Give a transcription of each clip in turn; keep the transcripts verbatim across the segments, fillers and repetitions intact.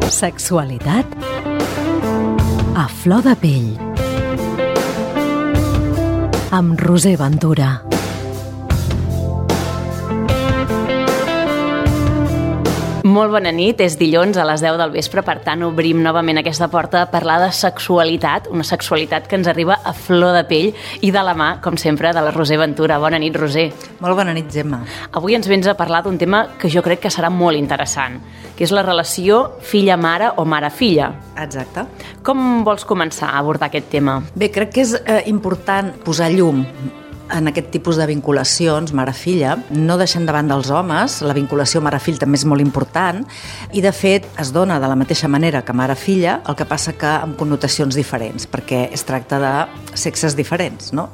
Sexualitat a flor de pell amb Roser Ventura. Molt bona nit, és dilluns a les deu del vespre, per tant obrim novament aquesta porta a parlar de sexualitat, una sexualitat que ens arriba a flor de pell i de la mà, com sempre, de la Roser Ventura. Bona nit, Roser. Molt bona nit, Gemma. Avui ens vens a parlar d'un tema que jo crec que serà molt interessant, que és la relació filla-mare o mare-filla. Exacte. Com vols començar a abordar aquest tema? Bé, crec que és eh, important posar llum en aquest tipus de vinculacions mare-filla, no deixant de banda els homes, la vinculació mare-fill també és molt important i de fet es dona de la mateixa manera que mare-filla, el que passa que amb connotacions diferents, perquè es tracta de sexes diferents, no?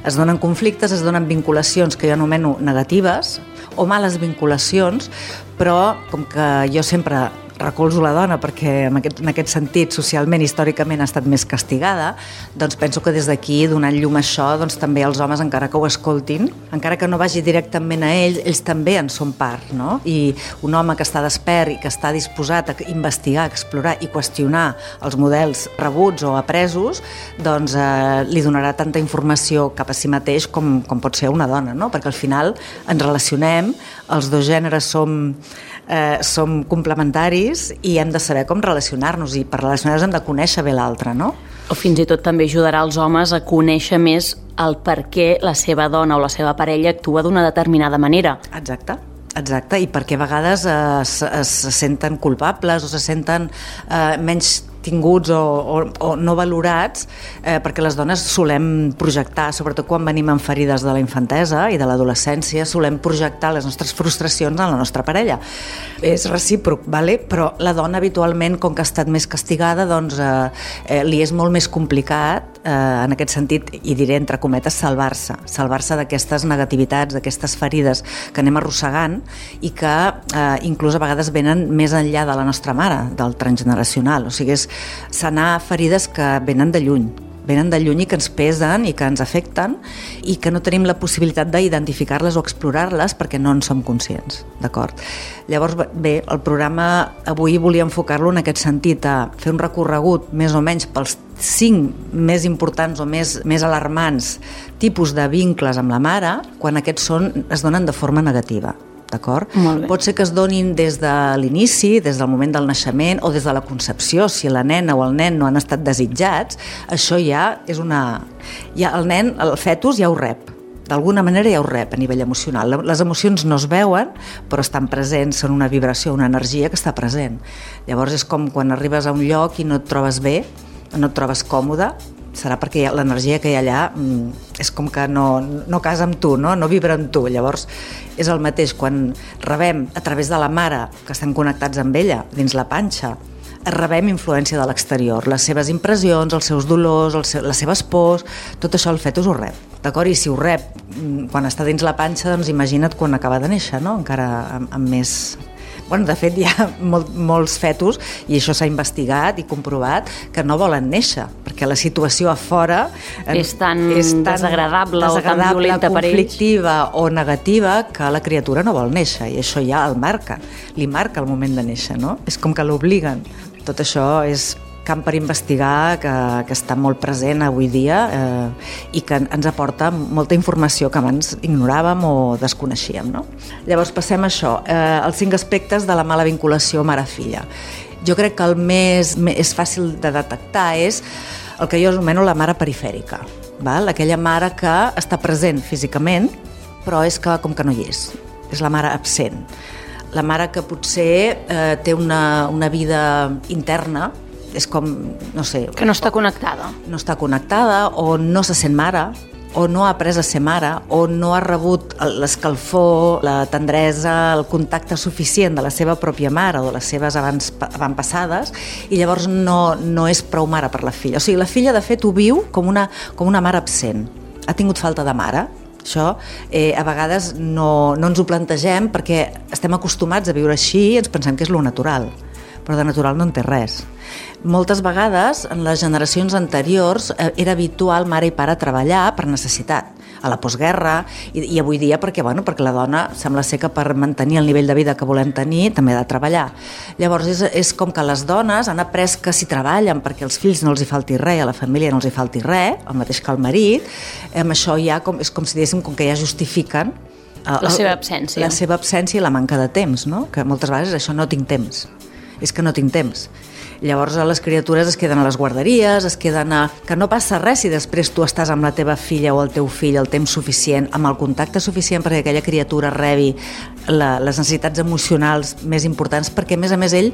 Es donen conflictes, es donen vinculacions que jo anomeno negatives o males vinculacions, però com que jo sempre recolzo la dona perquè en aquest, en aquest sentit socialment, històricament ha estat més castigada, doncs penso que des d'aquí, donant llum a això, doncs també els homes, encara que ho escoltin, encara que no vagi directament a ells, ells també en són part, no? I un home que està despert i que està disposat a investigar, a explorar i qüestionar els models rebuts o apresos, doncs eh, li donarà tanta informació cap a si mateix com, com pot ser una dona, no? Perquè al final ens relacionem, els dos gèneres som, eh, som complementaris i hem de saber com relacionar-nos i per relacionar-nos hem de conèixer bé l'altre, no? O fins i tot també ajudarà els homes a conèixer més el per què la seva dona o la seva parella actua d'una determinada manera. Exacte. Exacte, i perquè a vegades eh, es, es senten culpables o se senten eh, menys tinguts o, o, o no valorats, eh, perquè les dones solem projectar, sobretot quan venim amb ferides de la infantesa i de l'adolescència, solem projectar les nostres frustracions en la nostra parella. És recíproc, vale? Però la dona habitualment, com que ha estat més castigada, doncs eh, eh, li és molt més complicat, eh, en aquest sentit, i diré entre cometes, salvar-se, salvar-se d'aquestes negativitats, d'aquestes ferides que anem arrossegant i que eh, inclús a vegades venen més enllà de la nostra mare, del transgeneracional, o sigui, és sanar ferides que venen de lluny, venen de lluny i que ens pesen i que ens afecten i que no tenim la possibilitat d'identificar-les o explorar-les perquè no en som conscients, d'acord? Llavors, bé, el programa avui volia enfocar-lo en aquest sentit, a fer un recorregut més o menys pels cinc més importants o més, més alarmants tipus de vincles amb la mare quan aquests són, es donen de forma negativa. D'acord? Pot ser que es donin des de l'inici, des del moment del naixement o des de la concepció, si la nena o el nen no han estat desitjats, això ja és una... Ja el nen, el fetus ja ho rep, d'alguna manera ja ho rep a nivell emocional. Les emocions no es veuen, però estan presents, són una vibració, una energia que està present. Llavors és com quan arribes a un lloc i no et trobes bé, no et trobes còmode, serà perquè l'energia que hi ha allà és com que no, no casa amb tu, no? No vibra amb tu. Llavors és el mateix quan rebem a través de la mare, que estem connectats amb ella, dins la panxa, rebem influència de l'exterior, les seves impressions, els seus dolors, els seus, les seves pors, tot això el fetus ho rep, d'acord? I si ho rep quan està dins la panxa, doncs imagina't quan acaba de néixer, no? Encara amb, amb més... Bueno, de fet, hi ha molt, molts fetus, i això s'ha investigat i comprovat, que no volen néixer, perquè la situació a fora és tan, és tan desagradable, desagradable o tan violenta per ells, conflictiva o negativa, que la criatura no vol néixer, i això ja el marca, li marca el moment de néixer, no? És com que l'obliguen. Tot això és camp per investigar, que, que està molt present avui dia eh, i que ens aporta molta informació que abans ignoràvem o desconeixíem, no? Llavors passem a això, eh, els cinc aspectes de la mala vinculació mare-filla. Jo crec que el més, més fàcil de detectar és el que jo anomeno la mare perifèrica, val? Aquella mare que està present físicament, però és que com que no hi és, és la mare absent. La mare que potser eh, té una, una vida interna, és com, no sé... Que no està connectada. No està connectada, o no se sent mare, o no ha après a ser mare, o no ha rebut l'escalfor, la tendresa, el contacte suficient de la seva pròpia mare o de les seves abans, avantpassades, i llavors no, no és prou mare per la filla. O sigui, la filla, de fet, ho viu com una, com una mare absent. Ha tingut falta de mare. Això eh, a vegades no, no ens ho plantegem perquè estem acostumats a viure així i ens pensem que és lo natural, però de natural no en té res. Moltes vegades, en les generacions anteriors, eh, era habitual mare i pare treballar per necessitat. a la postguerra, i, i avui dia perquè, bueno, perquè la dona sembla ser que per mantenir el nivell de vida que volem tenir també ha de treballar. Llavors és, és com que les dones han après que si treballen perquè als fills no els hi falti res, a la família no els hi falti res, el mateix que el marit, amb això ja com, és com si diguéssim com que ja justifiquen el, la seva absència. La seva absència i la manca de temps, no? Que moltes vegades això no tinc temps. És que no tinc temps. Llavors les criatures es queden a les guarderies, es queden a... que no passa res si després tu estàs amb la teva filla o el teu fill el temps suficient, amb el contacte suficient perquè aquella criatura rebi la, les necessitats emocionals més importants, perquè a més a més ell,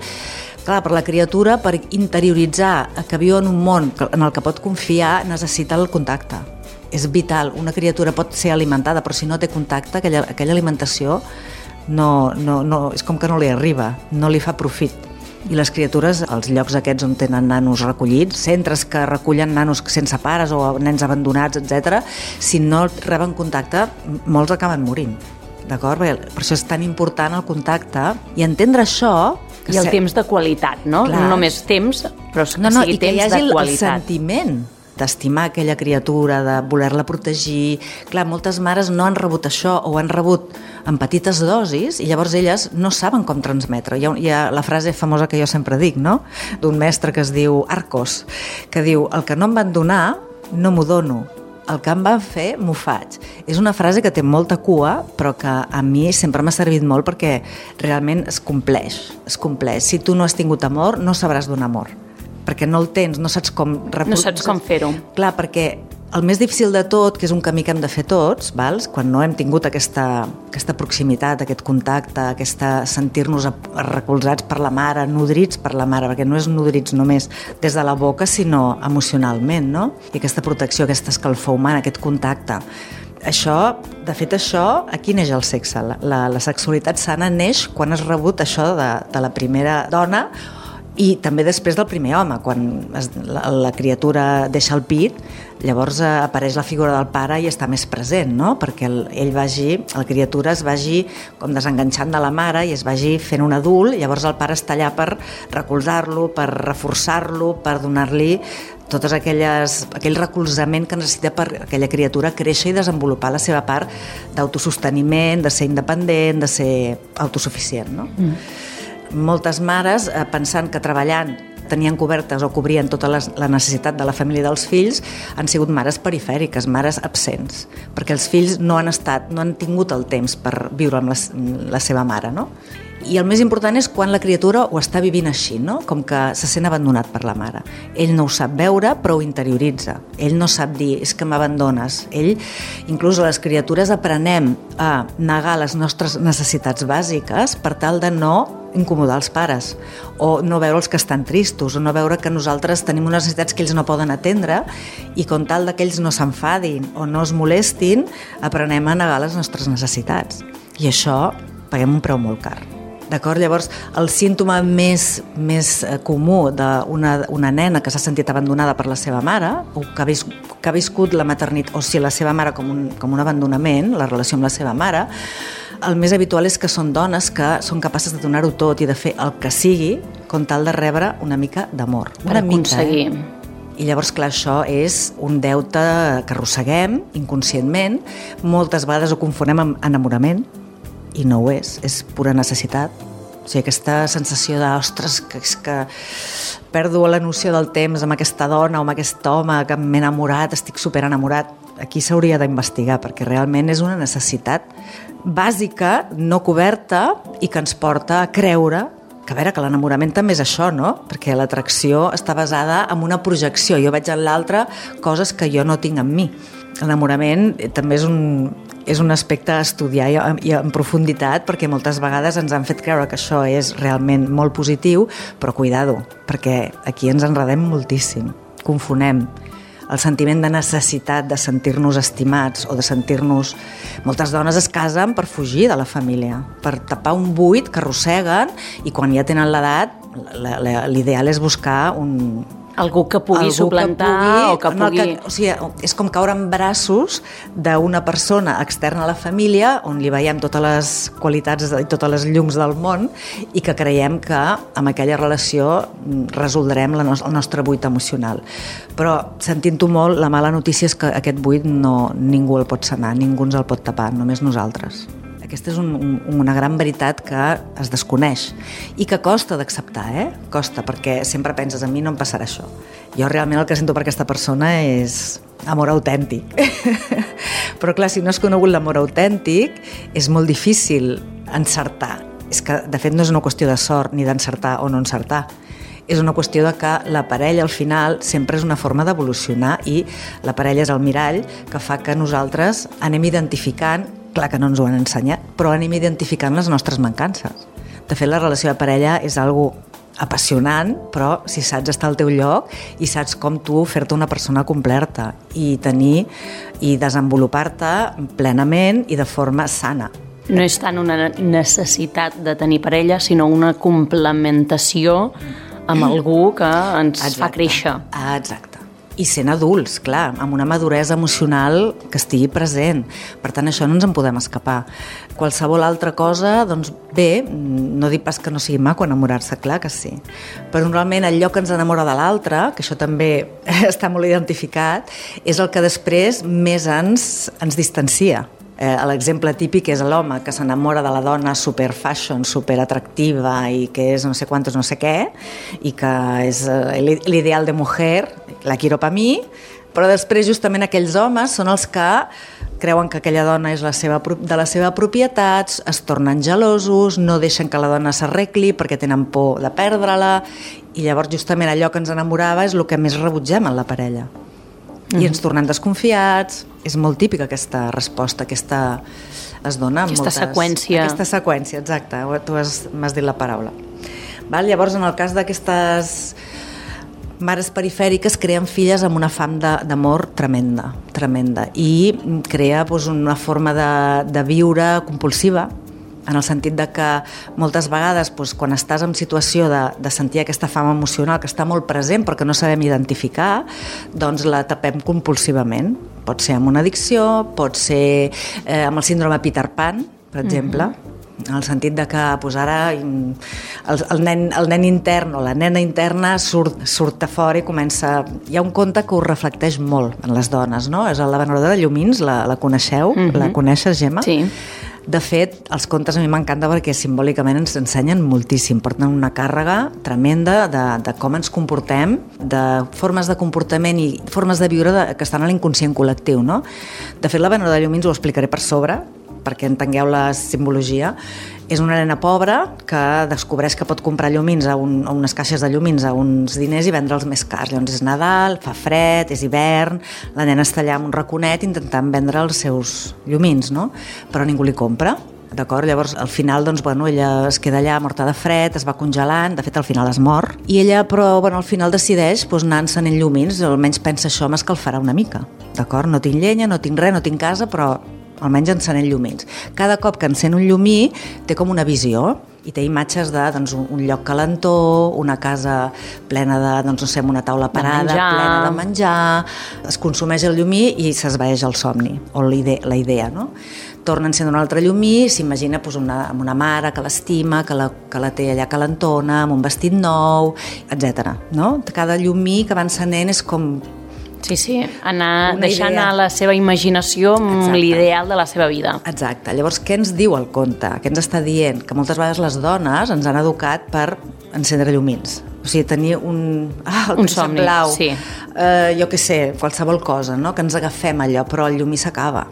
clar, per la criatura, per interioritzar que viu en un món en el que pot confiar, necessita el contacte. És vital. Una criatura pot ser alimentada, però si no té contacte, aquella, aquella alimentació no, no, no, és com que no li arriba, no li fa profit. I les criatures, als llocs aquests on tenen nanos recollits, centres que recullen nanos sense pares o nens abandonats, etcètera, si no reben contacte, molts acaben morint. D'acord? Per això és tan important el contacte i entendre això... I el se... temps de qualitat, no? Clar. No només temps, però que no, no, sigui temps de qualitat. I que hi hagi el sentiment d'estimar aquella criatura, de voler-la protegir. Clar, moltes mares no han rebut això o han rebut en petites dosis i llavors elles no saben com transmetre. Hi ha, hi ha la frase famosa que jo sempre dic, no?, d'un mestre que es diu Arcos, que diu: el que no em van donar no m'ho dono, el que em van fer m'ho faig. És una frase que té molta cua, però que a mi sempre m'ha servit molt perquè realment es compleix, es compleix. Si tu no has tingut amor, no sabràs donar amor, perquè no el tens, no saps com... No saps com fer-ho. Clar, perquè el més difícil de tot, que és un camí que hem de fer tots, vals? Quan no hem tingut aquesta, aquesta proximitat, aquest contacte, aquesta sentir-nos recolzats per la mare, nodrits per la mare, perquè no és nodrits només des de la boca, sinó emocionalment, no? I aquesta protecció, aquesta escalfor humana, aquest contacte. Això, de fet, això, aquí neix el sexe. La, la, la sexualitat sana neix quan has rebut això de, de la primera dona, i també després del primer home, quan es, la, la criatura deixa el pit, llavors eh, apareix la figura del pare i està més present, no? Perquè el, ell vagi, la criatura es vagi com desenganxant de la mare i es vagi fent un adult, llavors el pare està allà per recolzar-lo, per reforçar-lo, per donar-li tot aquelles, aquell recolzament que necessita per aquella criatura créixer i desenvolupar la seva part d'autososteniment, de ser independent, de ser autosuficient, no? Mm. Moltes mares, eh, pensant que treballant tenien cobertes o cobrien tota les, la necessitat de la família dels fills, han sigut mares perifèriques, mares absents, perquè els fills no han estat, no han tingut el temps per viure amb la, la seva mare, no? I el més important és quan la criatura ho està vivint així, no? Com que se sent abandonat per la mare. Ell no ho sap veure, però ho interioritza. Ell no sap dir, és que m'abandones. Ell, inclús les criatures, aprenem a negar les nostres necessitats bàsiques per tal de no incomodar els pares, o no veure els que estan tristos, o no veure que nosaltres tenim unes necessitats que ells no poden atendre, i com tal que ells no s'enfadin o no es molestin, aprenem a negar les nostres necessitats. I això paguem un preu molt car. D'acord? Llavors, el símptoma més, més comú d'una una nena que s'ha sentit abandonada per la seva mare, o que ha, vis, que ha viscut la maternitat, o sigui, la seva mare com un, com un abandonament, la relació amb la seva mare, el més habitual és que són dones que són capaces de donar-ho tot i de fer el que sigui com tal de rebre una mica d'amor. Per aconseguir. Eh? I llavors, clar, això és un deute que arrosseguem inconscientment. Moltes vegades ho confonem amb enamorament, i no ho és, és pura necessitat. O sigui, aquesta sensació de, ostres, que és que perdo la noció del temps amb aquesta dona o amb aquest home que m'he enamorat, estic superenamorat. Aquí s'hauria d'investigar, perquè realment és una necessitat bàsica, no coberta, i que ens porta a creure que, a veure, que l'enamorament també és això, no? Perquè l'atracció està basada en una projecció. Jo veig en l'altre coses que jo no tinc en mi. L'enamorament també és un, és un aspecte a estudiar i, i en profunditat, perquè moltes vegades ens han fet creure que això és realment molt positiu, però cuidado, perquè aquí ens enredem moltíssim, confonem el sentiment de necessitat de sentir-nos estimats o de sentir-nos... Moltes dones es casen per fugir de la família, per tapar un buit que arrosseguen, i quan ja tenen l'edat, l'ideal és buscar un, Algú que pugui Algú suplantar que pugui, o que no, pugui... que, o sigui, és com caure en braços d'una persona externa a la família on li veiem totes les qualitats i totes les llums del món i que creiem que amb aquella relació resoldrem la no- el nostre buit emocional. Però, sentint-ho molt, la mala notícia és que aquest buit no, ningú el pot sanar, ningú ens el pot tapar, només nosaltres. Aquesta és un, un, una gran veritat que es desconeix i que costa d'acceptar, eh? Costa, perquè sempre penses, a mi no em passarà això. Jo realment el que sento per aquesta persona és amor autèntic. Però clar, si no has conegut l'amor autèntic, és molt difícil encertar. És que, de fet, no és una qüestió de sort ni d'encertar o no encertar. És una qüestió de que la parella al final sempre és una forma d'evolucionar i la parella és el mirall que fa que nosaltres anem identificant, clar que no ens ho han ensenyat, però anem identificant les nostres mancances. De fet, la relació de parella és algo apassionant, però si saps estar al teu lloc i saps com tu fer-te una persona completa i tenir i desenvolupar-te plenament i de forma sana. No és tant una necessitat de tenir parella, sinó una complementació amb algú que ens Exacte. fa créixer. Ah, exacte. I sent adults, clar, amb una maduresa emocional que estigui present. Per tant, això no ens en podem escapar. Qualsevol altra cosa, doncs bé, no dic pas que no sigui maco enamorar-se, clar que sí. Però normalment allò que ens enamora de l'altre, que això també està molt identificat, és el que després més ens, ens distancia. Eh, l'exemple típic és l'home que s'enamora de la dona super fashion, super atractiva i que és no sé quantos no sé què i que és eh, l'ideal de mujer, la quiero pa mi, però després justament aquells homes són els que creuen que aquella dona és la seva, de la seva propietat, es tornen gelosos, no deixen que la dona s'arregli perquè tenen por de perdre-la i llavors justament allò que ens enamorava és el que més rebutgem en la parella. I ens tornem desconfiats. És molt típica aquesta resposta, aquesta es dona en Aquesta moltes... seqüència. Aquesta seqüència, exacte, tu has, m'has dit la paraula. Val? Llavors, en el cas d'aquestes mares perifèriques, creen filles amb una fam de, d'amor tremenda, tremenda, i crea doncs, una forma de, de viure compulsiva, en el sentit de que moltes vegades doncs, quan estàs en situació de, de sentir aquesta fam emocional que està molt present però que no sabem identificar, doncs la tapem compulsivament. Pot ser amb una addicció, pot ser eh, amb el síndrome Peter Pan, per exemple, mm-hmm. en el sentit de que doncs, ara el, el, nen, el nen intern o la nena interna surt, surt a fora i comença... Hi ha un conte que ho reflecteix molt en les dones, no? És la venedora de llumins, la, la coneixeu? Mm-hmm. La coneixes, Gemma? Sí. De fet, els contes a mi m'encanta perquè simbòlicament ens ensenyen moltíssim, porten una càrrega tremenda de, de com ens comportem, de formes de comportament i formes de viure de, que estan a l'inconscient col·lectiu, no? De fet, la venedora de llumins ho explicaré per sobre, perquè entengueu la simbologia. És una nena pobra que descobreix que pot comprar llumins a, un, a unes caixes de llumins a uns diners i vendre'ls més cars. Llavors és Nadal, fa fred, és hivern, la nena està allà amb un raconet intentant vendre els seus llumins, no? Però ningú li compra. D'acord? Llavors, al final, doncs, bueno, ella es queda allà morta de fred, es va congelant, de fet, al final es mor, i ella, però, bueno, al final decideix doncs, anar encenent llumins, almenys pensa això m'escalfarà una mica, d'acord? No tinc llenya, no tinc res, no tinc casa, però almenys encenent llumins. Cada cop que encén un llumí té com una visió i té imatges de doncs, un lloc calentó, una casa plena de, doncs, no sé, una taula parada, plena de menjar, es consumeix el llumí i s'esvaeix el somni, o la idea, la idea, no? Torna a encendre un altre llumí, s'imagina doncs, una, amb una mare que l'estima, que la, que la té allà calentona, amb un vestit nou, etcètera. No? Cada llumí que va encenent és com... Sí, sí, anar deixant anar la seva imaginació amb Exacte. L'ideal de la seva vida. Exacte. Llavors, què ens diu el conte? Què ens està dient? Que moltes vegades les dones ens han educat per encendre llumins. O sigui, tenir un... Ah, el un somni, blau. Sí. Eh, jo què sé, qualsevol cosa, no? Que ens agafem allò, però el llumí s'acaba.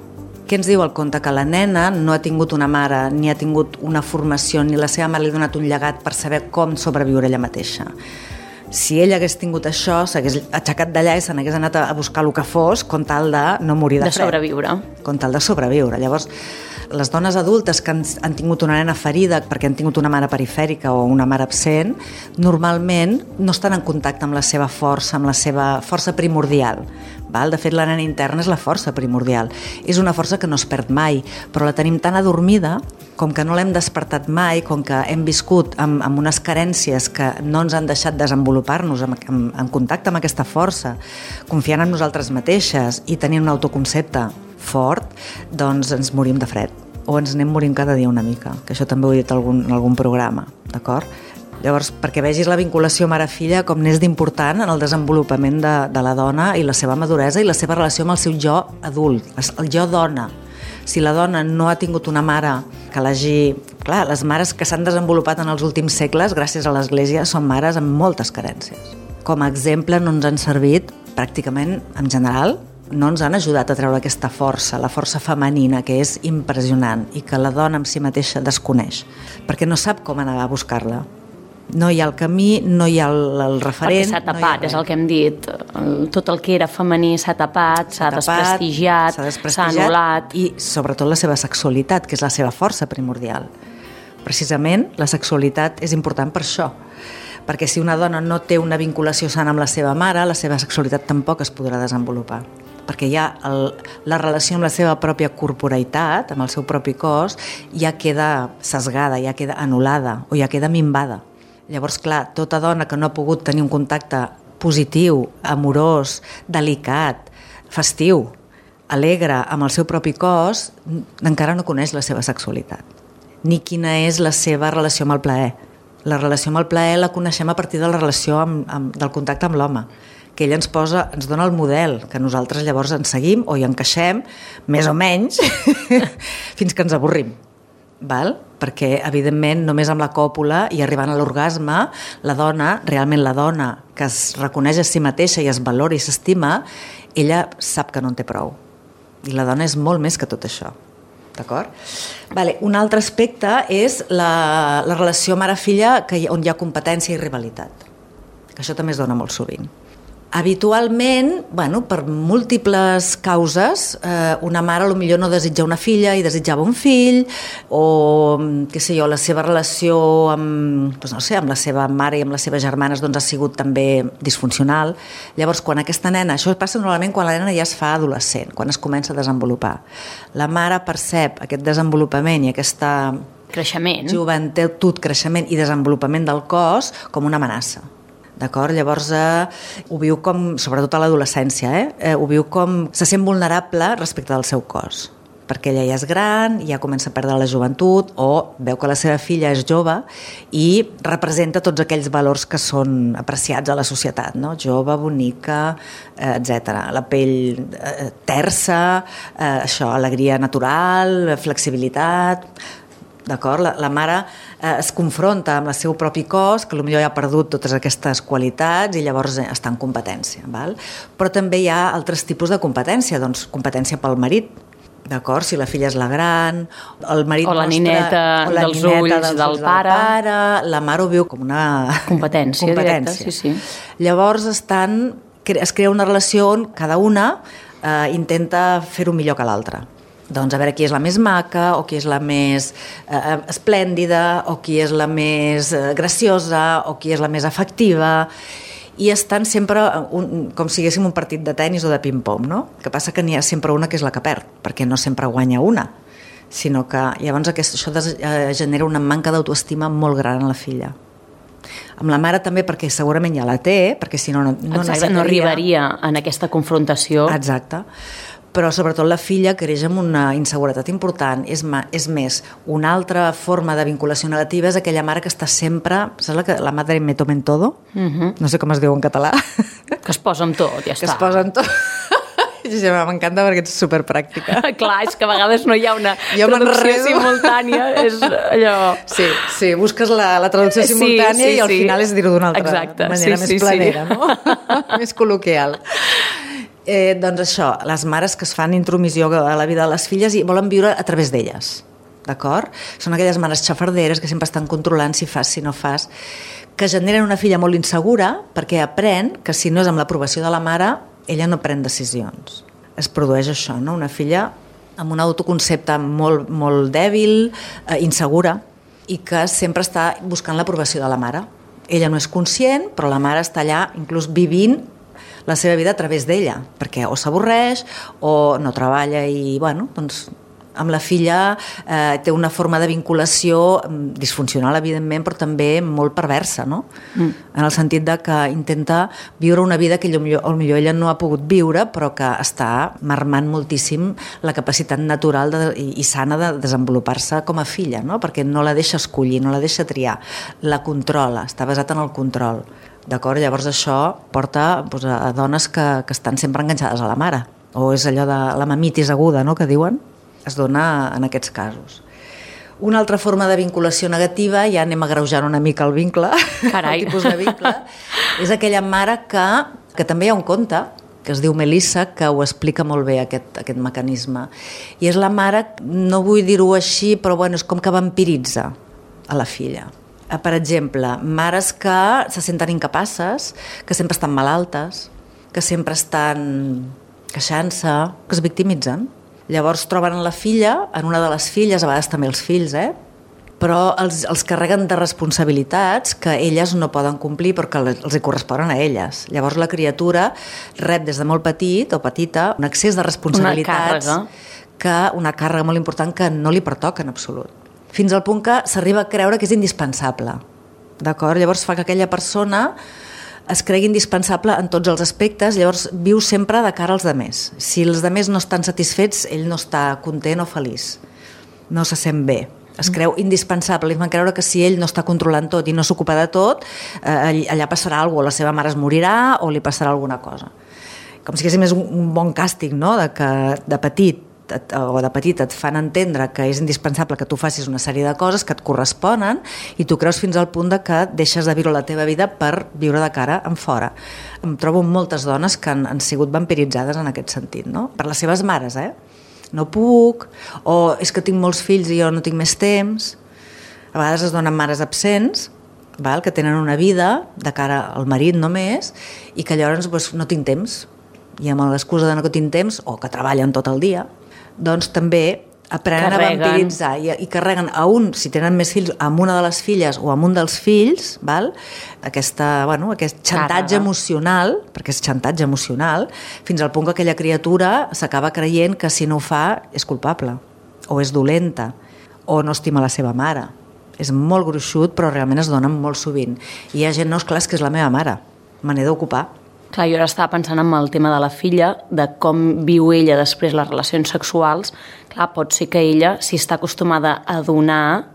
Què ens diu el conte? Que la nena no ha tingut una mare, ni ha tingut una formació, ni la seva mare li ha donat un llegat per saber com sobreviure ella mateixa. Si ella hagués tingut això, s'hagués aixecat d'allà i se n'hagués anat a buscar el que fos con tal de no morir de, de fred. De sobreviure. Con tal de sobreviure. Llavors, les dones adultes que han, han tingut una nena ferida perquè han tingut una mare perifèrica o una mare absent, normalment no estan en contacte amb la seva força, amb la seva força primordial. Val? De fet, la nena interna és la força primordial. És una força que no es perd mai, però la tenim tan adormida, com que no l'hem despertat mai, com que hem viscut amb, amb unes carències que no ens han deixat desenvolupar-nos en, en, en contacte amb aquesta força, confiant en nosaltres mateixes i tenint un autoconcepte fort, doncs ens morim de fred. O ens anem morint cada dia una mica, que això també ho he dit en algun, en algun programa, d'acord? Llavors, perquè vegis la vinculació mare-filla com n'és d'important en el desenvolupament de, de la dona i la seva maduresa i la seva relació amb el seu jo adult, el jo dona. Si la dona no ha tingut una mare que l'hagi... Clar, les mares que s'han desenvolupat en els últims segles, gràcies a l'Església, són mares amb moltes carències. Com a exemple no ens han servit, pràcticament, en general, no ens han ajudat a treure aquesta força, la força femenina, que és impressionant i que la dona en si mateixa desconeix, perquè no sap com anar a buscar-la. No hi ha el camí, no hi ha el, el referent... Perquè s'ha tapat, no és el que hem dit. Tot el que era femení s'ha tapat, s'ha desprestigiat, s'ha anul·lat. I sobretot la seva sexualitat, que és la seva força primordial. Precisament, la sexualitat és important per això. Perquè si una dona no té una vinculació sana amb la seva mare, la seva sexualitat tampoc es podrà desenvolupar. Perquè ja el, la relació amb la seva pròpia corporeïtat, amb el seu propi cos, ja queda sesgada, ja queda anul·lada o ja queda minvada. Llavors, clar, tota dona que no ha pogut tenir un contacte positiu, amorós, delicat, festiu, alegre amb el seu propi cos, encara no coneix la seva sexualitat, ni quina és la seva relació amb el plaer. La relació amb el plaer la coneixem a partir de la relació amb, amb, del contacte amb l'home, que ell ens posa, ens dona el model, que nosaltres llavors ens seguim o hi encaixem, més o menys, fins que ens avorrim. Val? Perquè, evidentment, només amb la còpula i arribant a l'orgasme, la dona, realment la dona, que es reconeix a si mateixa i es valora i s'estima, ella sap que no en té prou. I la dona és molt més que tot això. D'acord? Vale, un altre aspecte és la, la relació mare-filla que hi, on hi ha competència i rivalitat, que això també es dona molt sovint. Habitualment, bueno, per múltiples causes, eh, una mare potser no desitja una filla i desitjava un fill, o què sé jo, la seva relació amb, doncs no sé, amb la seva mare i amb les seves germanes doncs, ha sigut també disfuncional. Llavors, quan aquesta nena, això passa normalment quan la nena ja es fa adolescent, quan es comença a desenvolupar. La mare percep aquest desenvolupament i aquesta creixement, joventut, creixement i desenvolupament del cos com una amenaça. D'acord? Llavors eh, ho viu com, sobretot a l'adolescència, eh? Eh, ho viu com, se sent vulnerable respecte del seu cos, perquè ella ja és gran, ja comença a perdre la joventut o veu que la seva filla és jove i representa tots aquells valors que són apreciats a la societat, no? Jove, bonica, eh, etcètera. La pell eh, tersa, eh, això, alegria natural, flexibilitat... D'acord? La, la mare eh, es confronta amb el seu propi cos, que potser ja ha perdut totes aquestes qualitats i llavors està en competència. Val? Però també hi ha altres tipus de competència, doncs competència pel marit, d'acord? Si la filla és la gran, el marit o la mostra, nineta o la dels nineta ulls dels del ulls pare. del pare, la mare ho viu com una competència, competència. Directa, sí, sí. Llavors estan, es crea una relació on cada una eh, intenta fer-ho millor que l'altra. Doncs a veure qui és la més maca, o qui és la més eh, esplèndida, o qui és la més eh, graciosa, o qui és la més afectiva, i estan sempre un, com si haguéssim un partit de tennis o de ping-pong, no? Que passa que n'hi ha sempre una que és la que perd, perquè no sempre guanya una, sinó que llavors aquest, això des, eh, genera una manca d'autoestima molt gran en la filla. Amb la mare també, perquè segurament ja la té, perquè si no no, no Exacte, no arribaria en aquesta confrontació. Exacte. Però sobretot la filla creix amb una inseguretat important. És, ma, és més, una altra forma de vinculació negativa és aquella mare que està sempre... Saps la, que, la madre me tomen todo? Uh-huh. No sé com es diu en català. Que es posa amb tot, ja que està. Que es posa amb tot. Ja m'encanta perquè ets superpràctica. Clar, és que a vegades no hi ha una jo traducció simultània. És allò... Sí, sí, busques la, la traducció simultània sí, sí, i al sí. final és dir-ho d'una altra Exacte. manera, sí, més sí, planera, sí. no? Més col·loquial. Eh, doncs això, les mares que es fan intromissió a la vida de les filles i volen viure a través d'elles, d'acord? Són aquelles mares xafarderes que sempre estan controlant si fas, si no fas, que generen una filla molt insegura perquè aprèn que si no és amb l'aprovació de la mare, ella no pren decisions. Es produeix això, no? Una filla amb un autoconcepte molt, molt dèbil, eh, insegura, i que sempre està buscant l'aprovació de la mare. Ella no és conscient, però la mare està allà inclús vivint la seva vida a través d'ella, perquè o s'avorreix o no treballa i, bueno, doncs amb la filla eh, té una forma de vinculació disfuncional, evidentment, però també molt perversa, no? Mm. En el sentit de que intenta viure una vida que potser, potser ella no ha pogut viure, però que està marmant moltíssim la capacitat natural de, i, i sana de desenvolupar-se com a filla, no? Perquè no la deixa escollir, no la deixa triar, la controla, està basat en el control. D'acord? Llavors això porta doncs, a dones que, que estan sempre enganxades a la mare, o és allò de la mamitis aguda, no?, que diuen. Es dona en aquests casos. Una altra forma de vinculació negativa, ja anem agreujant una mica el vincle, Carai. el tipus de vincle, és aquella mare que, que també hi ha un conte, que es diu Melissa, que ho explica molt bé aquest, aquest mecanisme. I és la mare, no vull dir-ho així, però bueno, és com que vampiritza a la filla. Per exemple, mares que se senten incapaces, que sempre estan malaltes, que sempre estan queixant-se, que es victimitzen. Llavors troben la filla, en una de les filles, a vegades també els fills, eh? però els, els carreguen de responsabilitats que elles no poden complir perquè els hi corresponen a elles. Llavors la criatura rep des de molt petit o petita un excés de responsabilitats, una càrrega, que, una càrrega molt important que no li pertoca en absolut. Fins al punt que s'arriba a creure que és indispensable. D'acord? Llavors fa que aquella persona es cregui indispensable en tots els aspectes, llavors viu sempre de cara als demés. Si els demés no estan satisfets, ell no està content o feliç. No se sent bé. Es creu indispensable. Li fan creure que si ell no està controlant tot i no s'ocupa de tot, eh, allà passarà alguna cosa, la seva mare es morirà o li passarà alguna cosa. Com si haguéssim un, un bon càstig, no?, de que de petit o de petit et fan entendre que és indispensable que tu facis una sèrie de coses que et corresponen i tu creus fins al punt de que deixes de viure la teva vida per viure de cara en fora. Em trobo moltes dones que han, han sigut vampiritzades en aquest sentit, no? Per les seves mares, eh? No puc, o és que tinc molts fills i jo no tinc més temps. A vegades es donen mares absents, val? Que tenen una vida de cara al marit només i que llavors doncs, no tinc temps, i amb l'excusa de no tinc temps o que treballen tot el dia, doncs també aprenen carreguen. a vampiritzar i, i carreguen a un, si tenen més fills, amb una de les filles o amb un dels fills, val? Aquesta, bueno, aquest xantatge Càrrega. emocional, perquè és xantatge emocional, fins al punt que aquella criatura s'acaba creient que si no ho fa és culpable, o és dolenta, o no estima la seva mare. És molt gruixut, però realment es dona molt sovint. I hi ha gent, no, és clar, és que és la meva mare, me n'he d'ocupar. Clar, jo ara estava pensant en el tema de la filla, de com viu ella després les relacions sexuals. Clar, pot ser que ella, si està acostumada a donar,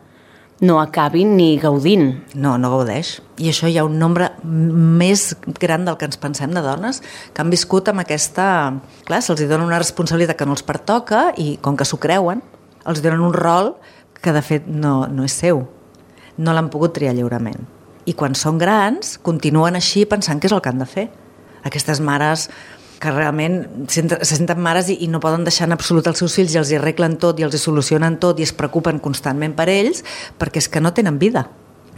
no acabi ni gaudint. No, no gaudeix. I això hi ha un nombre més gran del que ens pensem de dones que han viscut amb aquesta... Clar, se'ls dona una responsabilitat que no els pertoca i com que s'ho creuen, els donen un rol que de fet no, no és seu. No l'han pogut triar lliurement. I quan són grans, continuen així pensant que és el que han de fer. Aquestes mares que realment se senten mares i, i no poden deixar en absolut els seus fills i els hi arreglen tot i els hi solucionen tot i es preocupen constantment per ells perquè és que no tenen vida,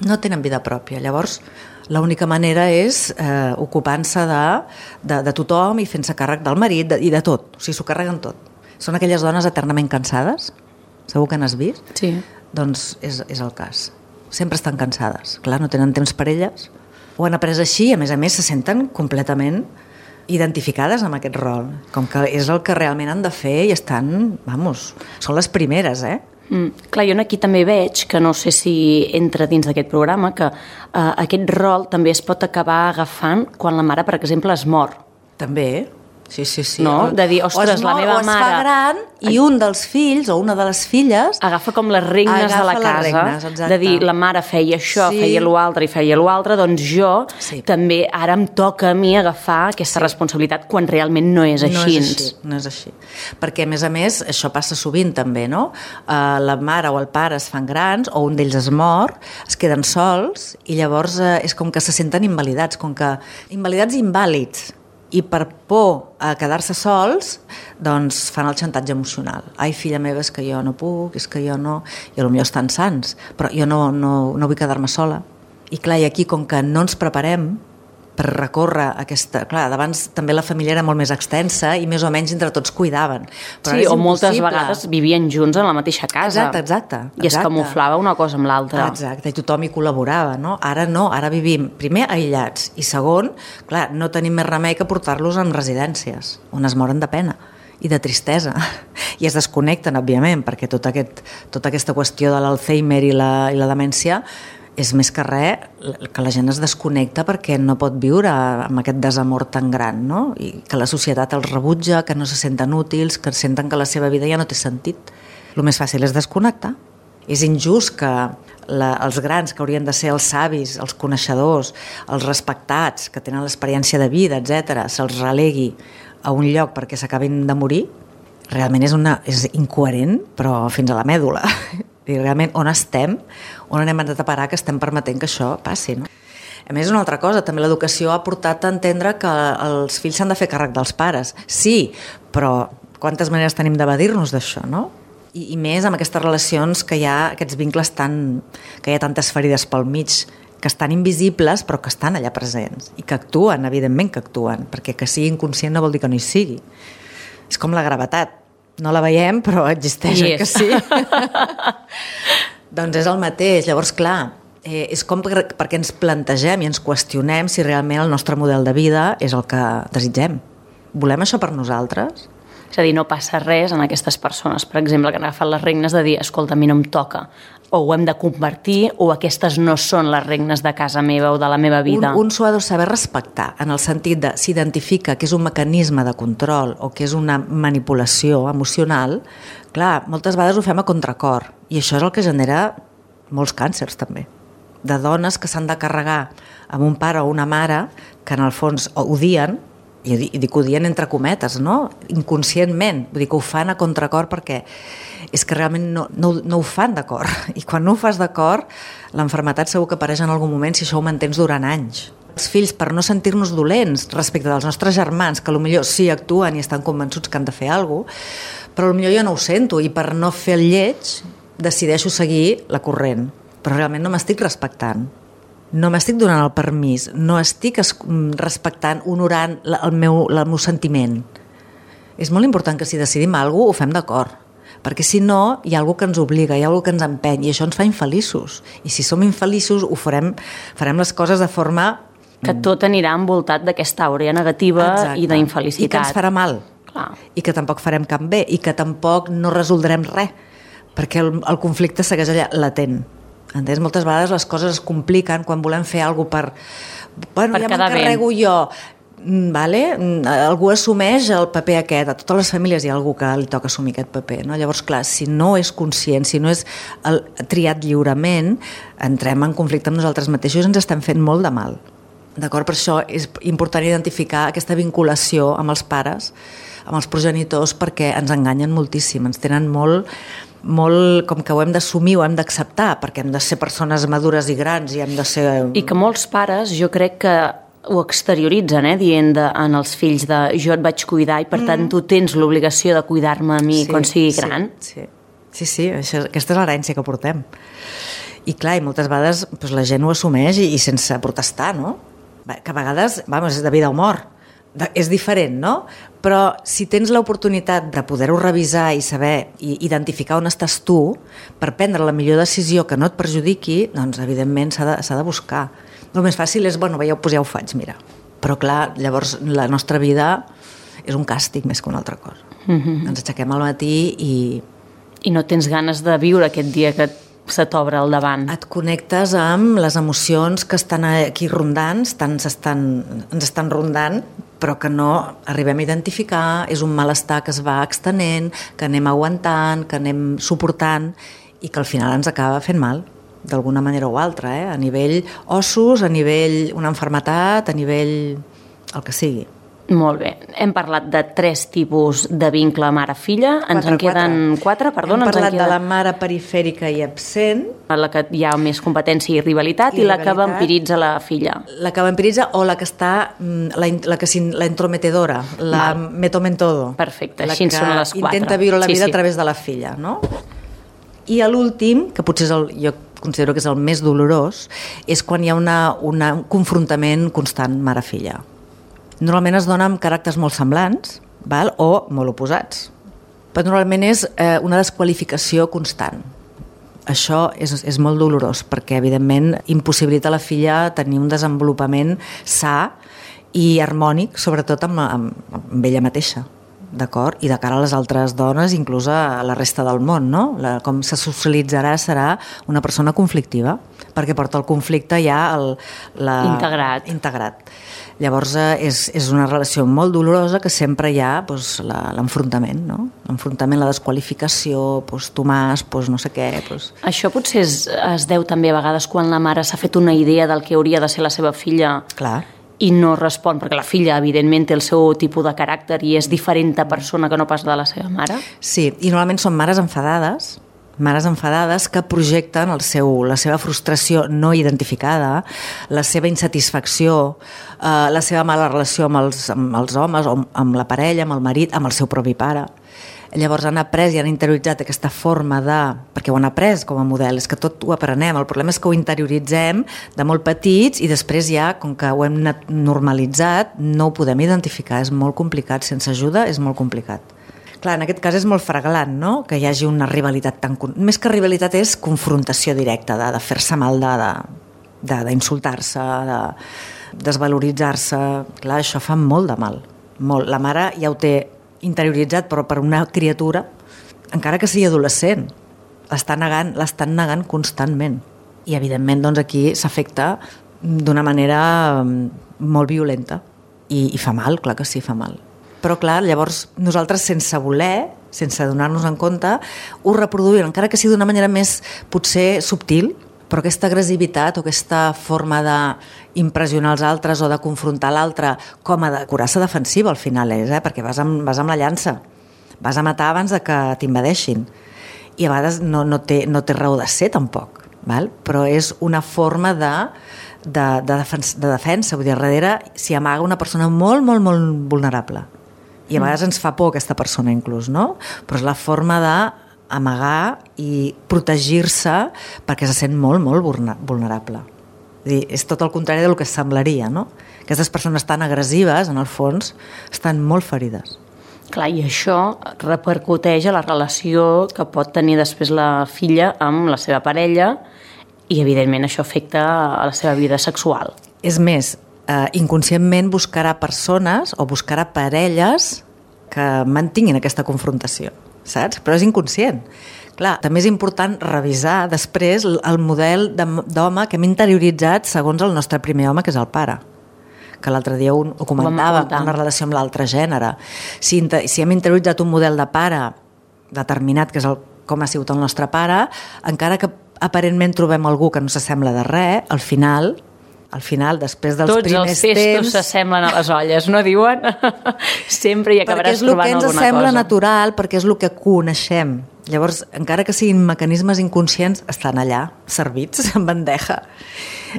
no tenen vida pròpia. Llavors, l'única manera és eh, ocupant-se de, de, de tothom i fent-se càrrec del marit de, i de tot, o sigui, s'ho carreguen tot. Són aquelles dones eternament cansades, segur que n'has vist? Sí. Doncs és, és el cas. Sempre estan cansades, clar, no tenen temps per elles. Ho han après així i a més a més se senten completament identificades amb aquest rol, com que és el que realment han de fer i estan, vamos, són les primeres, eh? Mm. Clar, jo aquí també veig, que no sé si entra dins d'aquest programa, que eh, aquest rol també es pot acabar agafant quan la mare, per exemple, es mor. També, sí, sí, sí. No? De dir, ostres, la meva mare... O es mare... fa gran i un dels fills o una de les filles... Agafa com les regnes de la casa, regnes, de dir, la mare feia això, sí. feia l'altre i feia l'altre, doncs jo sí. també ara em toca a mi agafar aquesta sí. responsabilitat quan realment no és així. No és així, no és així. Perquè, a més a més, això passa sovint també, no? Uh, la mare o el pare es fan grans o un d'ells es mor, es queden sols i llavors uh, és com que se senten invalidats, com que invalidats i invàlids. I per por a quedar-se sols, doncs fan el xantatge emocional. Ai, filla meva, és que jo no puc, és que jo no... I potser estan sants, però jo no, no, no vull quedar-me sola. I clar, i aquí, com que no ens preparem per recórrer aquesta... Clar, d'abans també la família era molt més extensa i més o menys entre tots cuidaven. Però sí, o moltes vegades vivien junts en la mateixa casa. Exacte, exacte. I es camuflava una cosa amb l'altra. Exacte, i tothom hi col·laborava, no? Ara no, ara vivim, primer, aïllats, i segon, clar, no tenim més remei que portar-los en residències, on es moren de pena i de tristesa. I es desconnecten, òbviament, perquè tot aquest, tota aquesta qüestió de l'Alzheimer i la, i la demència és més que res que la gent es desconnecta perquè no pot viure amb aquest desamor tan gran, no? I que la societat els rebutja, que no se senten útils, que senten que la seva vida ja no té sentit. El més fàcil és desconnectar. És injust que la, els grans, que haurien de ser els savis, els coneixedors, els respectats, que tenen l'experiència de vida, etcètera, se'ls relegui a un lloc perquè s'acabin de morir. Realment és, una, és incoherent, però fins a la mèdula. I realment on estem, on anem a parar que estem permetent que això passi, no? A més, una altra cosa, també l'educació ha portat a entendre que els fills s'han de fer càrrec dels pares. Sí, però quantes maneres tenim d'evadir-nos d'això, no? I, I més amb aquestes relacions que hi ha, aquests vincles tan... que hi ha tantes ferides pel mig, que estan invisibles però que estan allà presents i que actuen, evidentment que actuen, perquè que sigui inconscient no vol dir que no hi sigui. És com la gravetat. No la veiem, però existeix, yes. Que sí? Doncs és el mateix. Llavors, clar, eh, és com per, perquè ens plantegem i ens qüestionem si realment el nostre model de vida és el que desitgem. Volem això per nosaltres? És a dir, no passa res en aquestes persones, per exemple, que han agafat les regnes de dir, escolta, a mi no em toca, o ho hem de convertir, o aquestes no són les regnes de casa meva o de la meva vida. Un, un s'ho ha de saber respectar, en el sentit de s'identifica que és un mecanisme de control o que és una manipulació emocional. Clar, moltes vegades ho fem a contracor, i això és el que genera molts càncers també, de dones que s'han de carregar amb un pare o una mare que en el fons odien, i dic odien entre cometes, no? Inconscientment, vull dir que ho fan a contracor perquè és que realment no, no, no ho fan d'acord, i quan no ho fas d'acord l'enfermetat segur que apareix en algun moment si això ho mantens durant anys. Els fills, per no sentir-nos dolents respecte dels nostres germans, que potser sí actuen i estan convençuts que han de fer alguna cosa, però potser jo no ho sento i per no fer el lleig decideixo seguir la corrent, però realment no m'estic respectant. No m'estic donant el permís, no estic respectant, honorant el meu, el meu sentiment. És molt important que si decidim alguna cosa ho fem d'acord, perquè si no hi ha alguna que ens obliga, hi ha alguna que ens empeny i això ens fa infeliços. I si som infeliços ho farem, farem les coses de forma... Que tot anirà envoltat d'aquesta àurea negativa. Exacte. I d'infelicitat. I que ens farà mal. Clar. I que tampoc farem cap bé i que tampoc no resoldrem res, perquè el, el conflicte segueix allà latent. Entens? Moltes vegades les coses es compliquen quan volem fer alguna cosa per... Bueno, per ja m'encarrego jo. Vale? Algú assumeix el paper aquest. A totes les famílies hi ha algú que li toca assumir aquest paper. No? Llavors, clar, si no és conscient, si no és el, triat lliurement, entrem en conflicte amb nosaltres mateixos i ens estem fent molt de mal. D'acord? Per això és important identificar aquesta vinculació amb els pares, amb els progenitors, perquè ens enganyen moltíssim, ens tenen molt... molt com que ho hem d'assumir, ho hem d'acceptar, perquè hem de ser persones madures i grans i hem de ser... I que molts pares jo crec que ho exterioritzen, eh, dient de, en els fills de jo et vaig cuidar i per mm. tant tu tens l'obligació de cuidar-me a mi sí, quan sigui gran. Sí, sí, sí, això, aquesta és l'herència que portem. I clar, i moltes vegades doncs, la gent ho assumeix i, i sense protestar, no? Que a vegades, vamos, és de vida o mort. És diferent, no? Però si tens l'oportunitat de poder-ho revisar i saber i identificar on estàs tu per prendre la millor decisió que no et perjudiqui, doncs evidentment s'ha de, s'ha de buscar. El més fàcil és, bueno, ja, pues ja ho faig, mira. Però clar, llavors la nostra vida és un càstig més que una altra cosa. Mm-hmm. Ens aixequem al matí i... I no tens ganes de viure aquest dia que se t'obre al davant. Et connectes amb les emocions que estan aquí rondant, estan, estan, ens estan rondant, però que no arribem a identificar, és un malestar que es va extenent, que anem aguantant, que anem suportant i que al final ens acaba fent mal, d'alguna manera o altra, eh? A nivell ossos, a nivell una malaltia, a nivell el que sigui. Molt bé. Hem parlat de tres tipus de vincle mare-filla. Ens en queden quatre, perdona. Hem parlat queda... de la mare perifèrica i absent. La que hi ha més competència i rivalitat i, i rivalitat, la que vampiritza la filla. La que vampiritza o la que està, la, la, que, la entrometedora, la Val. Metomentodo. Perfecte, així són les quatre. Intenta viure la vida sí, sí. a través de la filla, no? I l'últim, que potser és el, jo considero que és el més dolorós, és quan hi ha una, una, un confrontament constant mare-filla. Normalment es dona amb caràcters molt semblants, val? O molt oposats. Però normalment és eh, una desqualificació constant. Això és, és molt dolorós perquè, evidentment, impossibilita a la filla tenir un desenvolupament sa i harmònic, sobretot amb, amb, amb ella mateixa, d'acord? I de cara a les altres dones, inclús a la resta del món, no? La, com se socialitzarà serà una persona conflictiva, perquè porta el conflicte ja el, la, integrat. integrat. Llavors és, és una relació molt dolorosa que sempre hi ha doncs, l'enfrontament, no? L'enfrontament, la desqualificació, doncs, tu m'has, doncs, no sé què... Doncs... Això potser es, es deu també a vegades quan la mare s'ha fet una idea del que hauria de ser la seva filla. Clar. I no respon, perquè la filla, evidentment, té el seu tipus de caràcter i és diferent de persona que no pas de la seva mare. Sí, i normalment són mares enfadades, mares enfadades que projecten el seu, la seva frustració no identificada, la seva insatisfacció, eh, la seva mala relació amb els, amb els homes, o amb la parella, amb el marit, amb el seu propi pare. Llavors han après i han interioritzat aquesta forma de... perquè ho han après com a model, és que tot ho aprenem, el problema és que ho interioritzem de molt petits i després ja, com que ho hem normalitzat, no ho podem identificar, és molt complicat, sense ajuda és molt complicat. Clar, en aquest cas és molt fraglant, no?, que hi hagi una rivalitat tan... Més que rivalitat és confrontació directa, de, de fer-se mal, d'insultar-se, de, de desvaloritzar-se. Clar, això fa molt de mal, molt. La mare ja ho té interioritzat, però per una criatura, encara que sigui adolescent, l'estan negant, l'estan negant constantment. I, evidentment, doncs, aquí s'afecta d'una manera molt violenta. I, i fa mal, clar que sí, fa mal. Però, clar, llavors nosaltres, sense voler, sense donar-nos en compte, ho reproduïm, encara que sigui d'una manera més, potser, subtil, però aquesta agressivitat o aquesta forma d'impressionar els altres o de confrontar l'altre com a de coraça defensiva al final és, eh? Perquè vas amb, vas amb la llança, vas a matar abans de que t'invadeixin i a vegades no, no, té, no té raó de ser tampoc, val? Però és una forma de, de, de, defensa, de defensa, vull dir, darrere s'hi amaga una persona molt, molt, molt vulnerable i a vegades ens fa por aquesta persona inclús, no? Però és la forma de amagar i protegir-se perquè se sent molt, molt vulnerable. És dir, és tot el contrari del que semblaria, no? Aquestes persones tan agressives, en el fons, estan molt ferides. Clar, i això repercuteix a la relació que pot tenir després la filla amb la seva parella i, evidentment, això afecta a la seva vida sexual. És més, eh, inconscientment buscarà persones o buscarà parelles que mantinguin aquesta confrontació, saps? Però és inconscient. Clar, també és important revisar després el model d'home que hem interioritzat segons el nostre primer home, que és el pare, que l'altre dia ho, ho comentava, una relació amb l'altre gènere. Si, si hem interioritzat un model de pare determinat, que és el, com ha sigut el nostre pare, encara que aparentment trobem algú que no s'assembla de res, al final... al final, després dels Tots primers temps... Tots els testos s'assemblen a les olles, no diuen? Sempre hi acabaràs trobant alguna cosa. Perquè és el que ens sembla natural, perquè és el que coneixem. Llavors, encara que siguin mecanismes inconscients, estan allà, servits, en bandeja.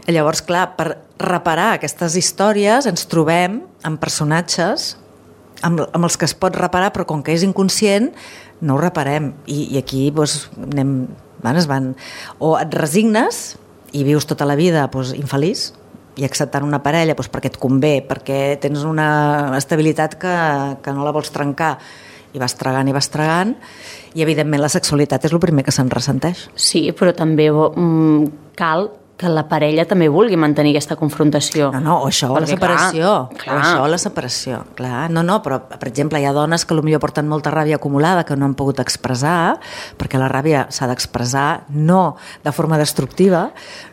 Llavors, clar, per reparar aquestes històries ens trobem amb personatges amb, amb els que es pot reparar, però com que és inconscient, no ho reparem. I, i aquí doncs, anem, van, es van... O et resignes i vius tota la vida doncs, infeliç, i acceptant una parella doncs, perquè et convé, perquè tens una estabilitat que, que no la vols trencar, i vas tragant i vas tragant, i evidentment la sexualitat és el primer que se'n ressenteix. Sí, però també mm, cal que la parella també vulgui mantenir aquesta confrontació. No, no, o això o la separació. Clar, clar. O això o la separació. Clar, no, no, però, per exemple, hi ha dones que potser porten molta ràbia acumulada que no han pogut expressar, perquè la ràbia s'ha d'expressar no de forma destructiva.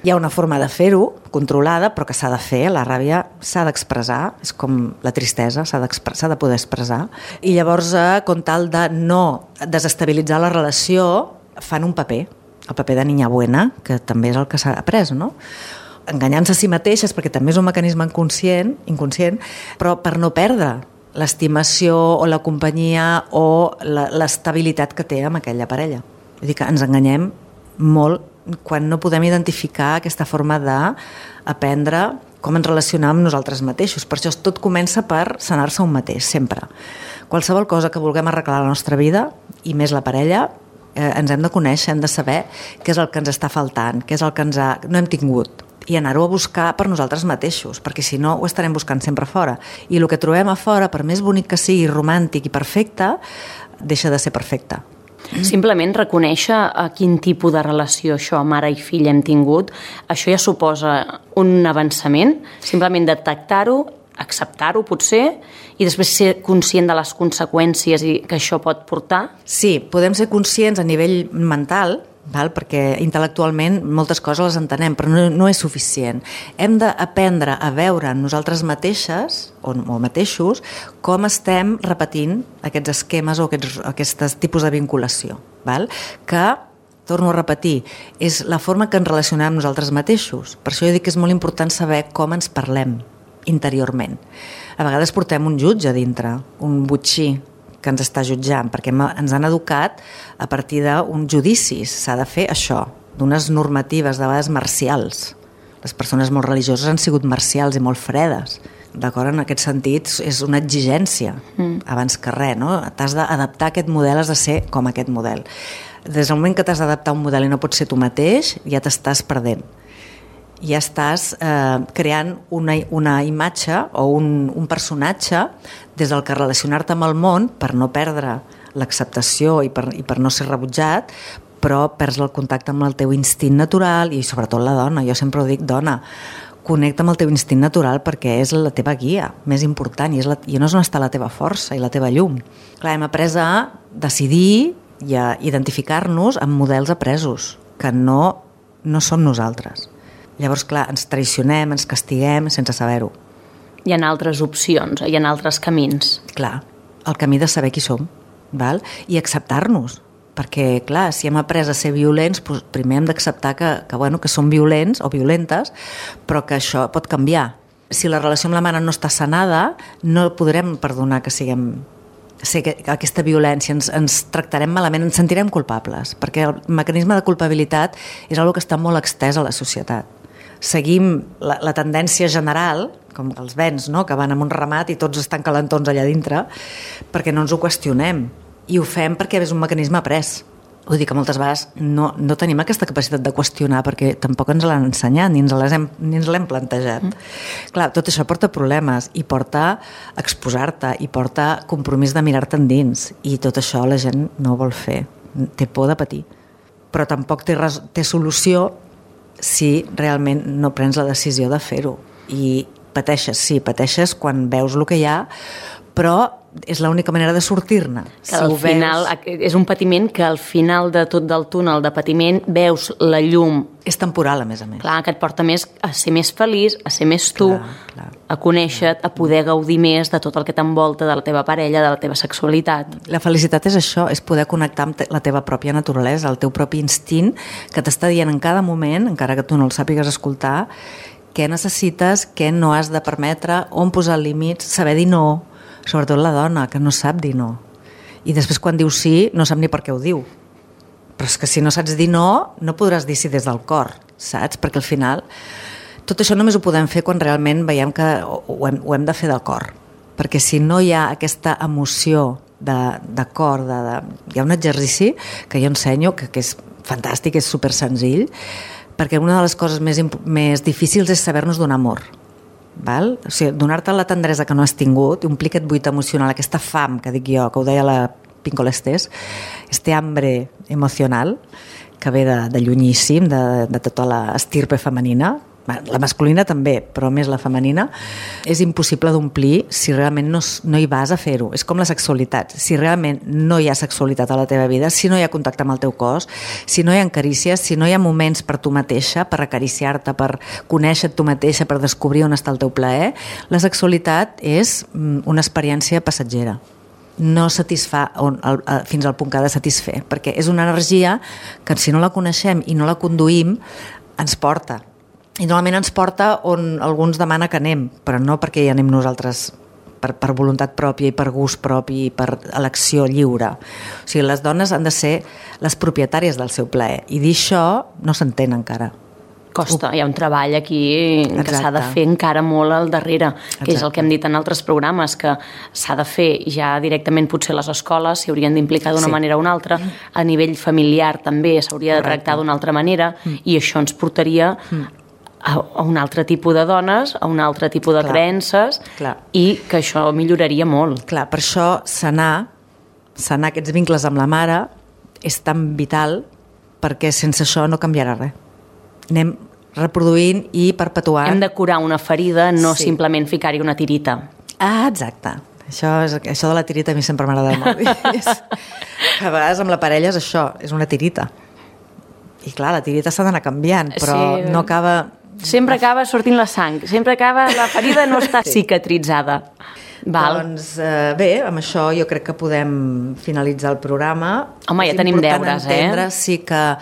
Hi ha una forma de fer-ho, controlada, però que s'ha de fer. La ràbia s'ha d'expressar, és com la tristesa, s'ha s'ha de poder expressar. I llavors, com tal de no desestabilitzar la relació, fan un paper. El paper de niña buena, que també és el que s'ha après, no? Enganyant-se a si mateixes, perquè també és un mecanisme inconscient, inconscient, però per no perdre l'estimació o la companyia o l'estabilitat que té amb aquella parella. Vull dir que ens enganyem molt quan no podem identificar aquesta forma d'aprendre com ens relacionem amb nosaltres mateixos. Per això tot comença per sanar-se un mateix, sempre. Qualsevol cosa que vulguem arreglar a la nostra vida, i més la parella, Eh, ens hem de conèixer, hem de saber què és el que ens està faltant, què és el que ens ha... no hem tingut, i anar-ho a buscar per nosaltres mateixos, perquè si no ho estarem buscant sempre fora. I el que trobem a fora, per més bonic que sigui, romàntic i perfecte, deixa de ser perfecte. Simplement reconèixer a quin tipus de relació això, mare i fill, hem tingut, això ja suposa un avançament, simplement detectar-ho, acceptar-ho potser, i després ser conscient de les conseqüències i que això pot portar? Sí, podem ser conscients a nivell mental, val? Perquè intel·lectualment moltes coses les entenem, però no, no és suficient. Hem d'aprendre a veure nosaltres mateixes o, o mateixos com estem repetint aquests esquemes o aquests, aquests tipus de vinculació. Val? Que, torno a repetir, és la forma que ens relacionem amb nosaltres mateixos. Per això jo dic que és molt important saber com ens parlem interiorment. A vegades portem un jutge a dintre, un botxí que ens està jutjant, perquè ens han educat a partir d'uns judicis. S'ha de fer això, d'unes normatives de vegades marcials. Les persones molt religioses han sigut marcials i molt fredes. D'acord? En aquest sentit, és una exigència, mm. abans que res, no? T'has d'adaptar a aquest model, has de ser com aquest model. Des del moment que t'has d'adaptar a un model i no pots ser tu mateix, ja t'estàs perdent. Ja estàs eh, creant una, una imatge o un, un personatge des del que relacionar-te amb el món per no perdre l'acceptació i per, i per no ser rebutjat, però perds el contacte amb el teu instint natural i sobretot la dona. Jo sempre ho dic, dona, connecta amb el teu instint natural perquè és la teva guia més important i, és la, i no és on està la teva força i la teva llum. Clar, hem après a decidir i a identificar-nos amb models apresos que no, no són nosaltres. Llavors, clar, ens traicionem, ens castiguem sense saber-ho. Hi ha altres opcions, hi ha altres camins. Clar, el camí de saber qui som, val? I acceptar-nos. Perquè, clar, si hem après a ser violents, doncs primer hem d'acceptar que, que, bueno, que som violents o violentes, però que això pot canviar. Si la relació amb la mare no està sanada, no podrem perdonar que siguem... Sé que aquesta violència ens, ens tractarem malament, ens sentirem culpables, perquè el mecanisme de culpabilitat és una que està molt extès a la societat. Seguim la, la tendència general, com els vents, no? Que van amb un ramat i tots estan calentons allà dintre, perquè no ens ho qüestionem. I ho fem perquè és un mecanisme après. Vull dir que moltes vegades no, no tenim aquesta capacitat de qüestionar perquè tampoc ens l'han ensenyat ni ens l'hem, ni ens l'hem plantejat. Mm. Clar, tot això porta problemes i porta exposar-te i porta compromís de mirar-te endins i tot això la gent no vol fer. Té por de patir. Però tampoc té, res, té solució si realment no prens la decisió de fer-ho. I pateixes, sí, pateixes quan veus el que hi ha, però és l'única manera de sortir-ne. Que al si final veus... és un patiment que al final de tot del túnel de patiment veus la llum. És temporal, a més a més. Clar, que et porta més a ser més feliç, a ser més tu, clar, clar, a conèixer-te, a poder gaudir més de tot el que t'envolta, de la teva parella, de la teva sexualitat. La felicitat és això, és poder connectar amb la teva pròpia naturalesa, el teu propi instint, que t'està dient en cada moment, encara que tu no el sàpigues escoltar, què necessites, què no has de permetre, on posar límits, saber dir no, sobretot la dona, que no sap dir no. I després quan diu sí, no sap ni per què ho diu. Però és que si no saps dir no, no podràs dir sí des del cor, saps? Perquè al final tot això només ho podem fer quan realment veiem que ho hem, ho hem de fer del cor. Perquè si no hi ha aquesta emoció de, de cor, de, de... hi ha un exercici que jo ensenyo, que, que és fantàstic, és super senzill, perquè una de les coses més, més difícils és saber-nos donar amor. Val? O sigui, donar-te la tendresa que no has tingut, omplir aquest buit emocional, aquesta fam, que dic jo, que ho deia la Pinkola Estés, este hambre emocional, que ve de, de llunyíssim, de, de tota l'estirpe femenina, la masculina també, però més la femenina, és impossible d'omplir si realment no, no hi vas a fer-ho. És com la sexualitat. Si realment no hi ha sexualitat a la teva vida, si no hi ha contacte amb el teu cos, si no hi ha carícies, si no hi ha moments per tu mateixa, per acariciar-te, per conèixer tu mateixa, per descobrir on està el teu plaer, la sexualitat és una experiència passatgera. No satisfà on, el, fins al punt que ha de satisfer, perquè és una energia que si no la coneixem i no la conduïm, ens porta. I normalment ens porta on alguns demana que anem, però no perquè hi anem nosaltres per, per voluntat pròpia i per gust propi i per elecció lliure. O sigui, les dones han de ser les propietàries del seu plaer, i dir això no s'entén encara. Costa, hi ha un treball aquí que Exacte. s'ha de fer encara molt al darrere, que Exacte. és el que hem dit en altres programes, que s'ha de fer ja directament potser les escoles, s'hi haurien d'implicar d'una Sí. manera o una altra, a nivell familiar també s'hauria de tractar d'una altra manera, mm. i això ens portaria mm. a, a un altre tipus de dones, a un altre tipus de Clar. creences, Clar. i que això milloraria molt. Clar, per això sanar, sanar aquests vincles amb la mare és tan vital, perquè sense això no canviarà res. Anem reproduint i perpetuant. Hem de curar una ferida, no Sí. simplement ficar-hi una tirita. Ah, exacte. Això, és, això de la tirita a mi sempre m'agrada molt. És, a vegades amb la parella és això, és una tirita. I clar, la tirita s'ha d'anar canviant, però Sí. no acaba... Sempre acaba sortint la sang, sempre acaba, la ferida no està Sí. cicatritzada. Val. Doncs eh, bé, amb això jo crec que podem finalitzar el programa. Home, ja És tenim important deures, eh? entendre, sí, que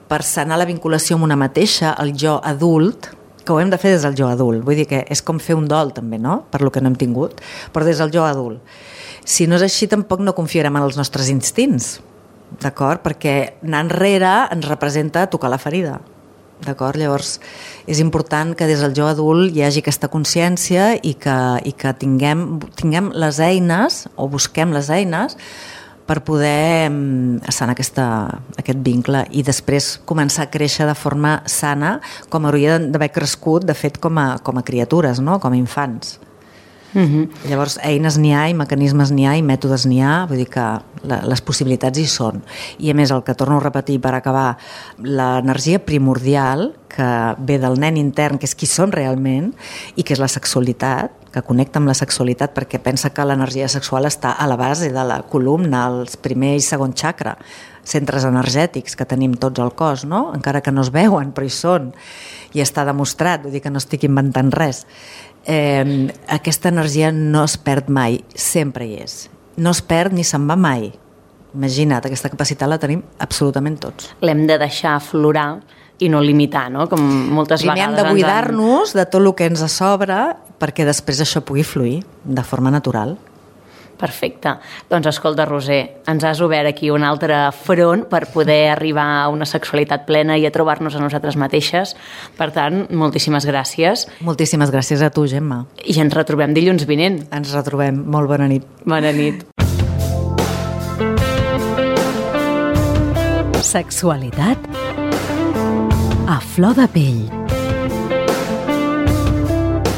per sanar la vinculació amb una mateixa, el jo adult, que ho hem de fer des del jo adult, vull dir que és com fer un dol també, no?, per lo que no hem tingut, però des del jo adult. Si no és així, tampoc no confiarem en els nostres instints, d'acord? Perquè anar enrere ens representa tocar la ferida. D'acord? Llavors, és important que des del jo adult hi hagi aquesta consciència i que, i que tinguem, tinguem les eines, o busquem les eines, per poder sanar aquesta, aquest vincle i després començar a créixer de forma sana, com hauria d'haver crescut, de fet, com a, com a criatures, no?, com a infants. Mm-hmm. Llavors, eines n'hi ha, i mecanismes n'hi ha, i mètodes n'hi ha, vull dir que la, les possibilitats hi són. I a més, el que torno a repetir per acabar, l'energia primordial que ve del nen intern, que és qui som realment, i que és la sexualitat, que connecta amb la sexualitat, perquè pensa que l'energia sexual està a la base de la columna, als primer i segon xacra, centres energètics que tenim tots al cos, no?, encara que no es veuen, però hi són, i està demostrat, vull dir que no estic inventant res. Eh, aquesta energia no es perd mai, sempre hi és. No es perd ni se'n va mai. Imagina't, aquesta capacitat la tenim absolutament tots. L'hem de deixar aflorar i no limitar, no?, com moltes Primer vegades... hem de buidar-nos de tot el que ens sobra perquè després això pugui fluir de forma natural. Perfecte. Doncs escolta, Roser, ens has obert aquí un altre front per poder arribar a una sexualitat plena i a trobar-nos a nosaltres mateixes. Per tant, moltíssimes gràcies. Moltíssimes gràcies a tu, Gemma. I ens retrobem dilluns vinent. Ens retrobem. Molt bona nit. Bona nit. Sexualitat a flor de pell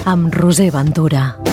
amb Roser Ventura.